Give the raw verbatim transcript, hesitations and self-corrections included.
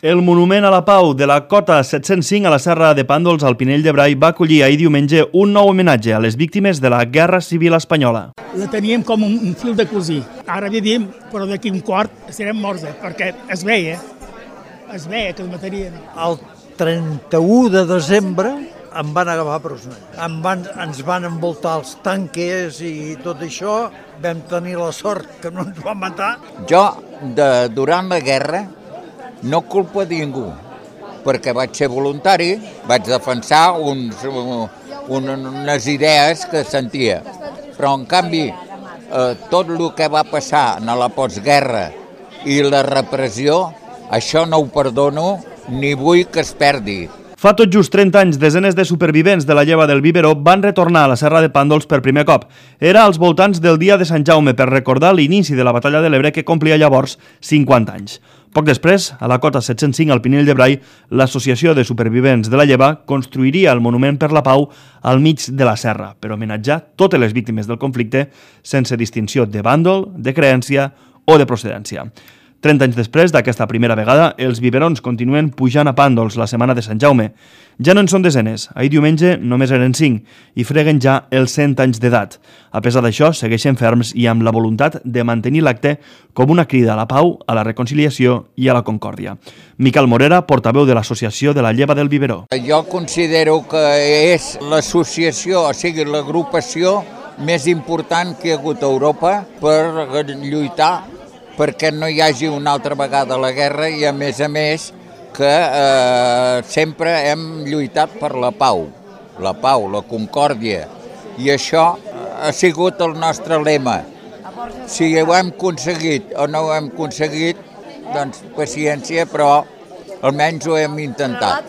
El Monument a la Pau de la Cota set-cents cinc a la Serra de Pàndols, al Pinell de Brai, va acollir ahir diumenge un nou homenatge a les víctimes de la Guerra Civil Espanyola. La teníem com un fil de cosir. Ara vivim, però d'aquí un quart serem morts, eh? Perquè es veia, es veia que es matarien. El trenta-u de desembre em van agafar presoner. Em van, ens van envoltar els tanques i tot això. Vam tenir la sort que no ens van matar. Jo, de, durant la guerra, no culpo a ningú, perquè vaig ser voluntari, vaig defensar uns, un, unes idees que sentia. Però, en canvi, eh, tot el que va passar en la postguerra i la repressió, això no ho perdono ni vull que es perdi. Fa tot just trenta anys, desenes de supervivents de la lleva del Biberó van retornar a la Serra de Pàndols per primer cop. Era als voltants del dia de Sant Jaume per recordar l'inici de la batalla de l'Ebre que complia llavors cinquanta anys. Poc després, a la Cota set-cents cinc al Pinell de Brai, l'Associació de Supervivents de la Lleva construiria el Monument per la Pau al mig de la serra per homenatjar totes les víctimes del conflicte sense distinció de bàndol, de creència o de procedència. trenta anys després d'aquesta primera vegada, els biberons continuen pujant a Pàndols la setmana de Sant Jaume. Ja no en són desenes, ahir diumenge només eren cinc i freguen ja els cent anys d'edat. A pesar d'això, segueixen ferms i amb la voluntat de mantenir l'acte com una crida a la pau, a la reconciliació i a la concòrdia. Miquel Morera, portaveu de l'Associació de la Lleva del Biberó. Jo considero que és l'associació, o sigui, l'agrupació més important que hi ha hagut a Europa per lluitar perquè no hi hagi una altra vegada la guerra i, a més a més, que eh, sempre hem lluitat per la pau, la pau, la concòrdia, i això ha sigut el nostre lema. Si ho hem aconseguit o no ho hem aconseguit, doncs paciència, però almenys ho hem intentat.